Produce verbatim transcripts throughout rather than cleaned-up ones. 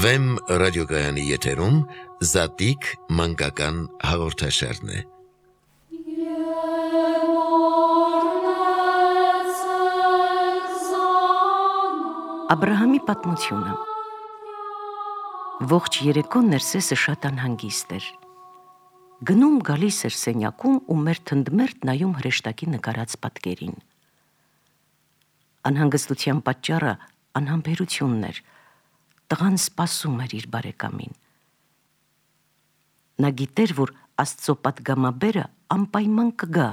Վեմ ռադիոգայանի եթերում Զատիկ մանկական հաղորդաշարն է։ Աբրահամի պատմությունը։ Ողջ երեկոն Ներսեսը շատ անհանգիստ էր։ Գնում գալիս էր սենյակում ու մերթընդմերթ նայում հրեշտակի նկարած պատկերին։ Անհանգստության պատճառը անհամբերությունն էր, տղան սպասում էր իր բարեկամին։ Նա գիտեր, որ Աստծո պատգամաբերը անպայման կգա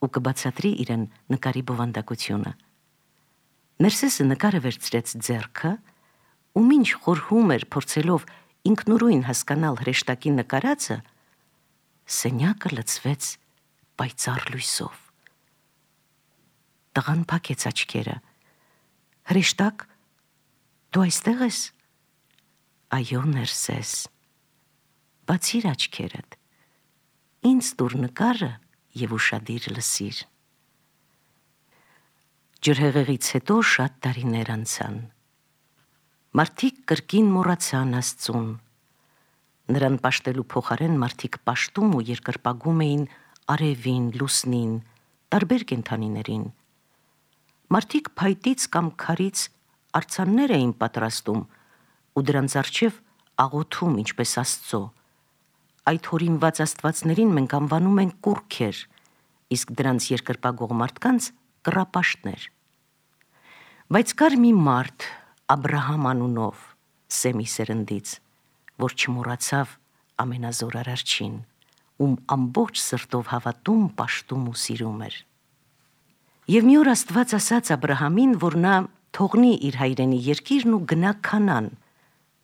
ու կբացատրի իրեն նկարի բովանդակությունը։ Ներսեսը նկարը վերցրեց ձեռքը ու մինչ խորհում էր փորձելով ինքնուրույն հասկանալ հրեշտակի նկարածը, սենյակը լցվեց պայծառ լույսով։ Տղան փակեց աչքերը։ Հրեշտակ, դու այստեղ ես։ Այո, Ներսես։ Բացիր աչքերդ։ Ինձ տուր նկարը եւ ուշադիր լսիր։ Ջրհեղեղից հետո շատ տարիներ անցան։ Մարդիկ կրկին մոռացան Աստծուն։ Նրան պաշտելու փոխարեն մարդիկ պաշտում ու երկրպագում էին արևին, լուսնին, տարբեր կենդանիներին։ Մարդիկ փայտից կամ քարից արձաններ էին պատրաստում ու դրանց առջև աղոթում ինչպես Աստծո։ Այդ հորինված աստվածներին մենք անվանում ենք կուռքեր, իսկ դրանց երկրպագող մարդկանց կռապաշտներ։ Բայց կար մի մարդ, Աբրահամ անունով, Սեմի սերնդից, որ չմոռացավ ամենազոր Արարչին, ում ամբողջ սրտով հավատում, պաշտում ու սիրում էր։ Եվ մի օր Աստված ասաց Աբրահամին, որ նա թողնի իր հայրենի երկիրն ու գնա Քանան,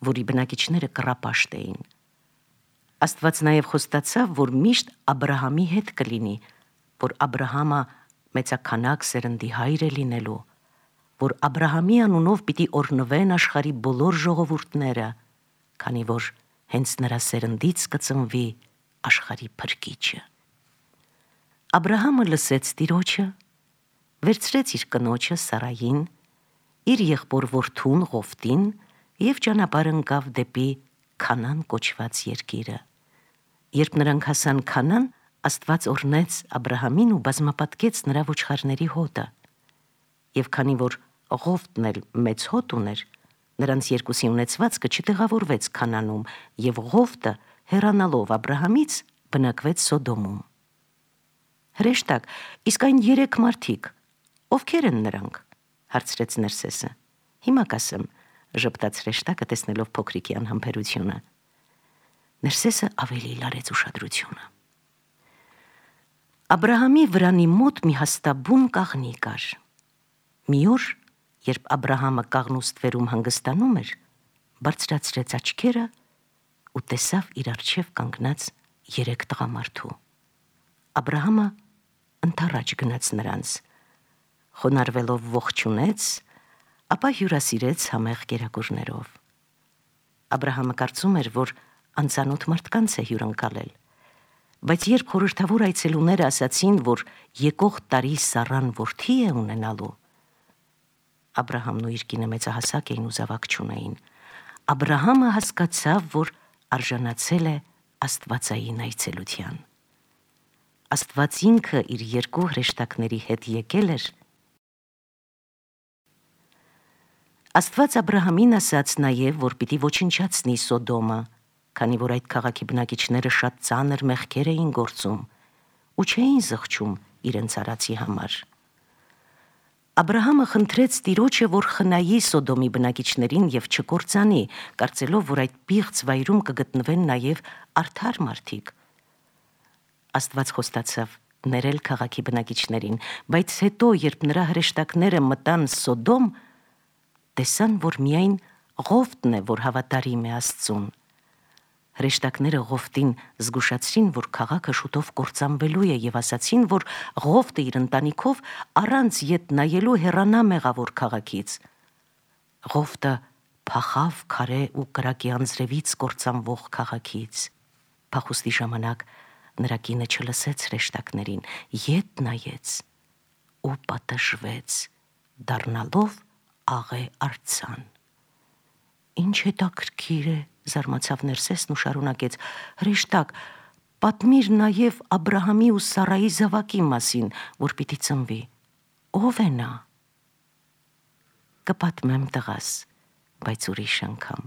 որի բնակիչները կռապաշտ էին։ Աստված նաև խոստացավ, որ միշտ Աբրահամի հետ կլինի, որ Աբրահամը մեծաքանակ սերնդի հայր է լինելու, որ Աբրահամի անունով պիտի օրհնվեն աշխարհի բոլոր ժողովուրդները, քանի որ հենց նրա սերնդից կծնվի աշխարհի փրկիչը։ Աբրահամը լսեց Տիրոջը, վերցրեց իր կնոջը Սարային, իր եղբոր որդուն Ղովտին եւ ճանապարհ ընկավ դեպի Քանան կոչված երկիրը։ Երբ նրանք հասան Քանան, Աստված օրհնեց Աբրահամին ու բազմապատկեց նրա ոչխարների հոտը։ Եվ քանի որ Ղովտն էլ մեծ հոտ ուներ, նրանց երկուսի ունեցվածքը չտեղավորվեց Քանանում, եւ Ղովտը, հեռանալով Աբրահամից, բնակվեց Սոդոմում։ Հրեշտակ, իսկ այն երեք մարդիկ, ովքեր են նրանք, հարցրեց Ներսեսը։ Հիմա կասեմ, ժպտաց հրեշտակը, տեսնելով փոքրիկի անհամբերությունը։ Ներսեսը ավելի լարեց ուշադրությունը։ Աբրահամի վրանի մոտ մի հաստաբուն կաղնի կար։ Մի օր, երբ Աբրահամը կաղնուստվերում հանգստանում էր, բարձրացրեց աչքերը ու տեսավ իր առջև կանգնած երեք տղամարդու։ Աբրահամը ընդառաջ գնաց նրանց, խոնարհվելով ողջունեց, ապա հյուրասիրեց համեղ կերակուրներով։ Աբրահամը կարծում էր, որ անծանոթ մարդկանց է հյուրընկալել, բայց երբ խորհրդավոր այցելուները ասացին, որ եկող տարի Սառան որդի է ունենալու, Աբրահամն ու իր կինը մեծահասակ էին ու զավակ չունեին, Աբրահամը հասկացավ, որ արժանացել է աստվածային այցելության։ Աստված ինքը իր երկու հրեշտակների հետ եկել էր։ Աստված Աբրահամին ասաց նաև, որ պիտի ոչնչացնի Սոդոմը, քանի որ այդ քաղաքի բնակիչները շատ ծանր մեղքեր էին գործում ու չէին զղջում իրենց արածի համար։ Աբրահամը խնդրեց Տիրոջը, որ խնայի Սոդոմի բնակիչներին եւ չկործանի, կարծելով, որ այդ պիղծ վայրում կգտնվեն նաև արդար մարդիկ։ Աստված խոստացավ ներել քաղաքի բնակիչներին, բայց հետո, երբ նրա հրեշտակները մտան Սոդոմ, տեսան, որ միայն Ղովտն է, որ հավատարիմ է Աստծուն։ Հրեշտակները Ղովտին զգուշացրին, որ քաղաքը շուտով կործանվելու է եւ ասացին, որ Ղովտը իր ընտանիքով առանց ետ նայելու հեռանա մեղավոր քաղաքից։ Ղովտը փախավ քարե ու կրակի անձրևից կործանվող քաղաքից։ Փախուստի ժամանակ նրա կինը չլսեց հրեշտակներին, ետ նայեց ու պատժվեց, դառնալով աղե արձան։ Ինչ հետաքրքիր է, զարմացավ Ներսեսն ու շարունակեց. հրեշտակ, պատմիր նաև Աբրահամի ու Սարայի զավակի մասին, որ պիտի ծնվի։ Ո՞վ է նա։ Կպատմեմ տղաս, բայց ուրիշ անգամ։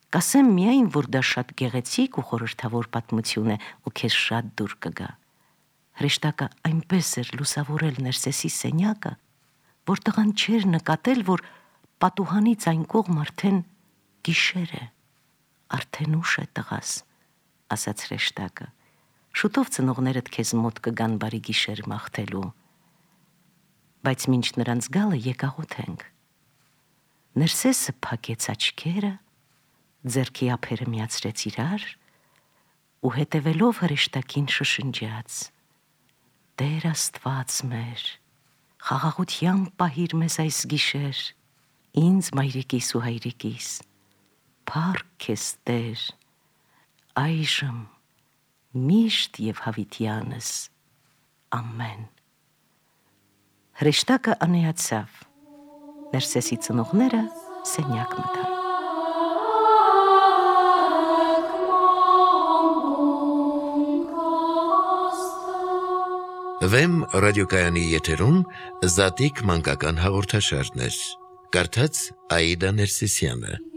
Կասեմ միայն, որ դա շատ գեղեցիկ ու խորհրդավոր պատմություն է ու քեզ շատ դուր կգա։ Հրեշտակը այնպես էր լուսավորել Ներսեսի սենյակը, որ տղան չէր նկատել, որ պատուհանից այն կողմ արդեն գիշեր է, արդեն ուշ է տղաս, ասաց հրեշտակը, շուտով ծնողներդ քեզ մոտ կգան բարի գիշեր մաղթելու, բայց մինչ նրանց գալը եկաղոտ ենք։ Ներսեսը փակեց աչքերը, ձեռքի ափերը միացրեց իրար ու հետևելով հրեշտակին շշնջաց. Տեր Աստված մեր, խաղաղությամբ պահիր մեզ այս գիշեր, ինձ մայրիկիս ու հայրիկիս, փառք քեզ Տեր, այժմ միշտ եւ հավիտյանս, ամեն։ Հրեշտակը անեացավ, Ներսեսի ծնողները սենյակ մտան։ Վեմ ռադիոկայանի եթերում Զատիկ մանկական հաղորդաշարներ։ Կարդաց Աիդա Ներսիսյանը։